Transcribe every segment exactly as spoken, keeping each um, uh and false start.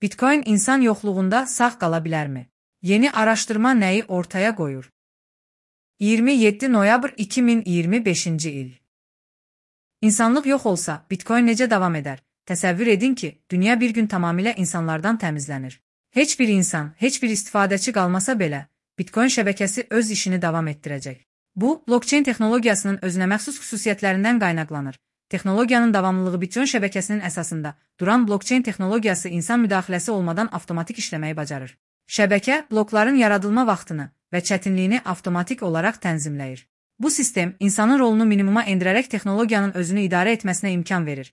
Bitcoin insan yoxluğunda sağ qala bilərmi? Yeni araşdırma nəyi ortaya qoyur? iyirmi yeddi noyabr iki min iyirmi beşinci il. İnsanlıq yox olsa, Bitcoin necə davam edər? Təsəvvür edin ki, dünya bir gün tamamilə insanlardan təmizlənir. Heç bir insan, heç bir istifadəçi qalmasa belə, Bitcoin şəbəkəsi öz işini davam etdirəcək. Bu, blockchain texnologiyasının özünəməxsus xüsusiyyətlərindən qaynaqlanır. Texnologiyanın davamlılığı Bitcoin şəbəkəsinin əsasında duran blockchain texnologiyası insan müdaxiləsi olmadan avtomatik işləməyi bacarır. Şəbəkə, blokların yaradılma vaxtını və çətinliyini avtomatik olaraq tənzimləyir. Bu sistem, insanın rolunu minimuma endirərək texnologiyanın özünü idarə etməsinə imkan verir.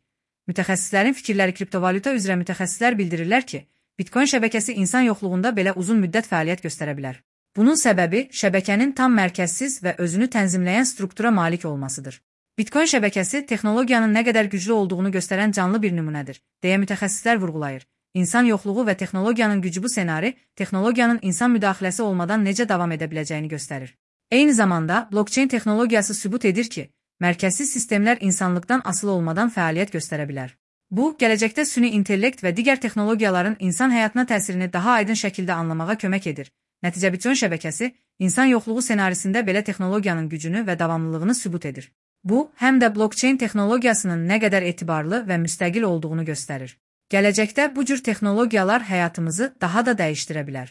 Mütəxəssislərin fikirləri kriptovalyuta üzrə mütəxəssislər bildirirlər ki, Bitcoin şəbəkəsi insan yoxluğunda belə uzun müddət fəaliyyət göstərə bilər. Bunun səbəbi, şəbəkənin tam mərkəzsiz və özünü tənzimləyən struktura malik olmasıdır. Bitcoin şəbəkəsi texnologiyanın nə qədər güclü olduğunu göstərən canlı bir nümunədir, deyə mütəxəssislər vurğulayır. İnsan yoxluğu və texnologiyanın gücü bu ssenari, texnologiyanın insan müdaxiləsi olmadan necə davam edə biləcəyini göstərir. Eyni zamanda, blockchain texnologiyası sübut edir ki, mərkəzsiz sistemlər insanlıqdan asılı olmadan fəaliyyət göstərə bilər. Bu, gələcəkdə süni intellekt və digər texnologiyaların insan həyatına təsirini daha aydın şəkildə anlamağa kömək edir. Nəticə Bitcoin şəbəkəsi, insan yoxluğu ssenarisində belə texnologiyanın gücünü və davamlılığını sübut edir. Bu, həm də blockchain texnologiyasının nə qədər etibarlı və müstəqil olduğunu göstərir. Gələcəkdə bu cür texnologiyalar həyatımızı daha da dəyişdirə bilər.